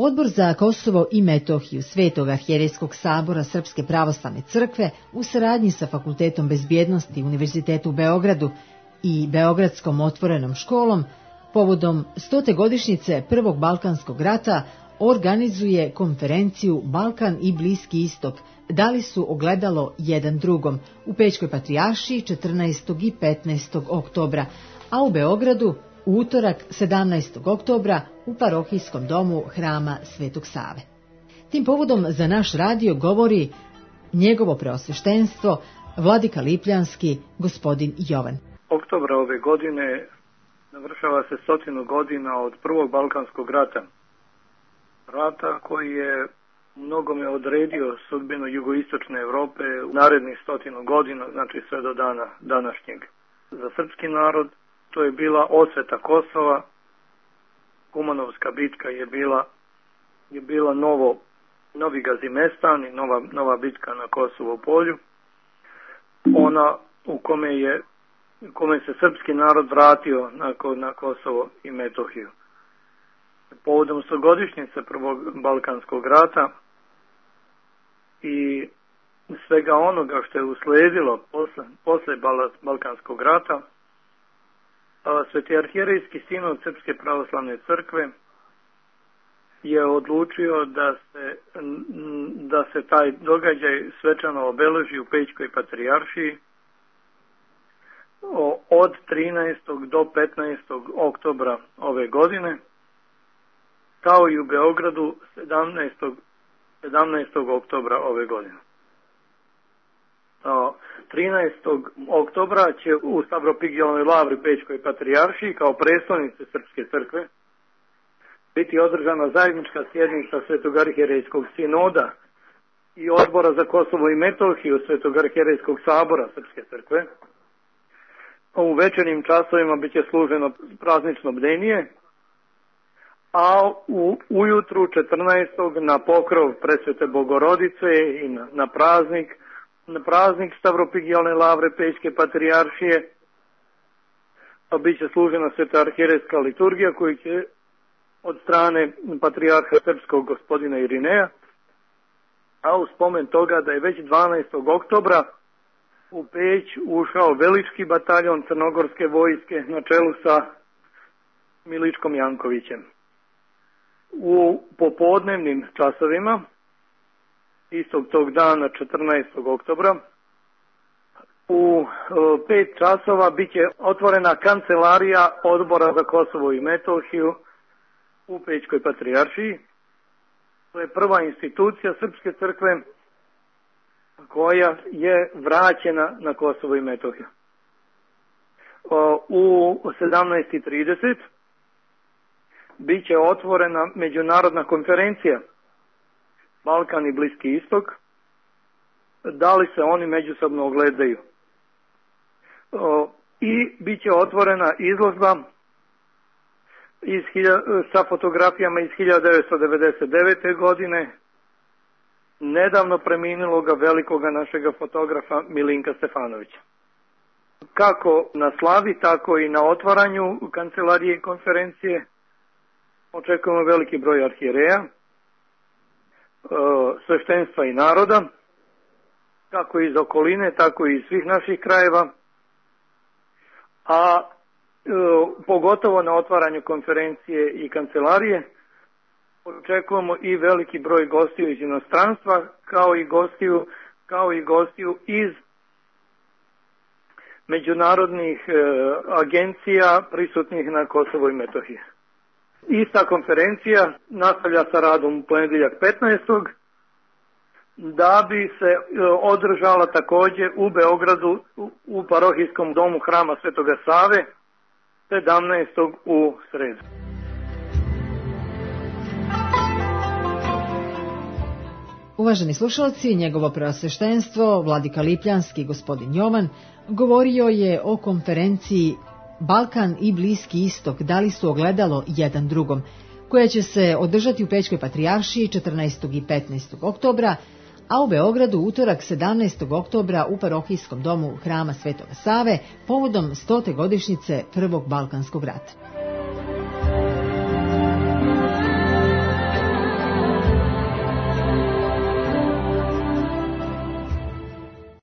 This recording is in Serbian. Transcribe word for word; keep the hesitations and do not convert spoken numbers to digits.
Odbor za Kosovo i Metohiju Svetog arhijerejskog sabora Srpske pravoslavne crkve u saradnji sa Fakultetom bezbjednosti Univerzitetu u Beogradu i Beogradskom otvorenom školom povodom stote godišnjice Prvog Balkanskog rata organizuje konferenciju Balkan i Bliski istok, dali su ogledalo jedan drugom u Pećkoj patrijaršiji četrnaestog i petnaestog oktobra, a u Beogradu u utorak sedamnaestog oktobra u parohijskom domu Hrama Svetog Save. Tim povodom za naš radio govori njegovo preosveštenstvo, vladika Lipljanski, gospodin Jovan. Oktobra ove godine navršava se stotinu godina od Prvog Balkanskog rata. Rata koji je mnogome odredio sudbinu jugoistočne Europe u narednih stotinu godina, znači sve do dana današnjeg. Za srpski narod to je bila osveta Kosova, Kumanovska bitka je bila, je bila novo, novi Gazimestan i nova, nova bitka na Kosovo polju. Ona u kome, je, u kome se srpski narod vratio na, na Kosovo i Metohiju. Povodom stogodišnjice Prvog Balkanskog rata i svega onoga što je usledilo posle, posle Balkanskog rata, Sveti arhijerejski sinod Srpske pravoslavne crkve je odlučio da se, da se taj događaj svečano obeleži u Pećkoj patrijaršiji od trinaestog do petnaestog oktobra ove godine, kao i u Beogradu sedamnaestog oktobra ove godine. trinaestog oktobra će u Stavropigijalnoj lavri Pećkoj patrijaršiji kao prestolnice Srpske crkve biti održana zajednička sjednica Svetog arhijerejskog sinoda i Odbora za Kosovo i Metohiju Svetog arhijerejskog sabora Srpske crkve. U večernjim časovima biće služeno praznično bdenije, a u ujutru četrnaestog na pokrov Presvete Bogorodice i na, na praznik na praznik Stavropigijalne lavre Pećke patrijaršije biće služena Sveta arhijerejska liturgija koju će od strane patrijarha srpskog gospodina Irineja, a u spomen toga da je već dvanaestog oktobra u Peć ušao velički bataljon crnogorske vojske na čelu sa Miličkom Jankovićem. U popodnevnim časovima istog tog dana četrnaestog oktobra u pet časova biće otvorena kancelarija Odbora za Kosovo i Metohiju u Pećkoj patrijaršiji. To je prva institucija Srpske crkve koja je vraćena na Kosovo i Metohiju. U sedamnaest i trideset bit će otvorena međunarodna konferencija Balkan i Bliski istok, da li se oni međusobno ogledaju. I bit će otvorena izložba iz, sa fotografijama iz hiljadu devetsto devedeset devete. godine nedavno preminuloga velikoga našega fotografa Milinka Stefanovića. Kako na slavi, tako i na otvaranju kancelarije i konferencije očekujemo veliki broj arhijereja, sveštenstva i naroda, kako iz okoline, tako i iz svih naših krajeva, a e, pogotovo na otvaranju konferencije i kancelarije očekujemo i veliki broj gostiju iz inostranstva, kao i gostiju, kao i gostiju iz međunarodnih e, agencija prisutnih na Kosovo i Metohiji. Ista konferencija nastavlja sa radom u ponedjeljak petnaestog da bi se održala također u Beogradu u parohijskom domu Hrama Svetoga Save sedamnaestog u sredu. Uvaženi slušalci, njegovo preosveštenstvo, vladika Lipljanski, gospodin Jovan, govorio je o konferenciji Balkan i Bliski istok, dali su ogledalo jedan drugom, koja će se održati u Pećkoj patrijaršiji četrnaestog i petnaestog oktobra, a u Beogradu utorak sedamnaestog oktobra u parohijskom domu Hrama Svetoga Save povodom stote godišnjice Prvog Balkanskog rata.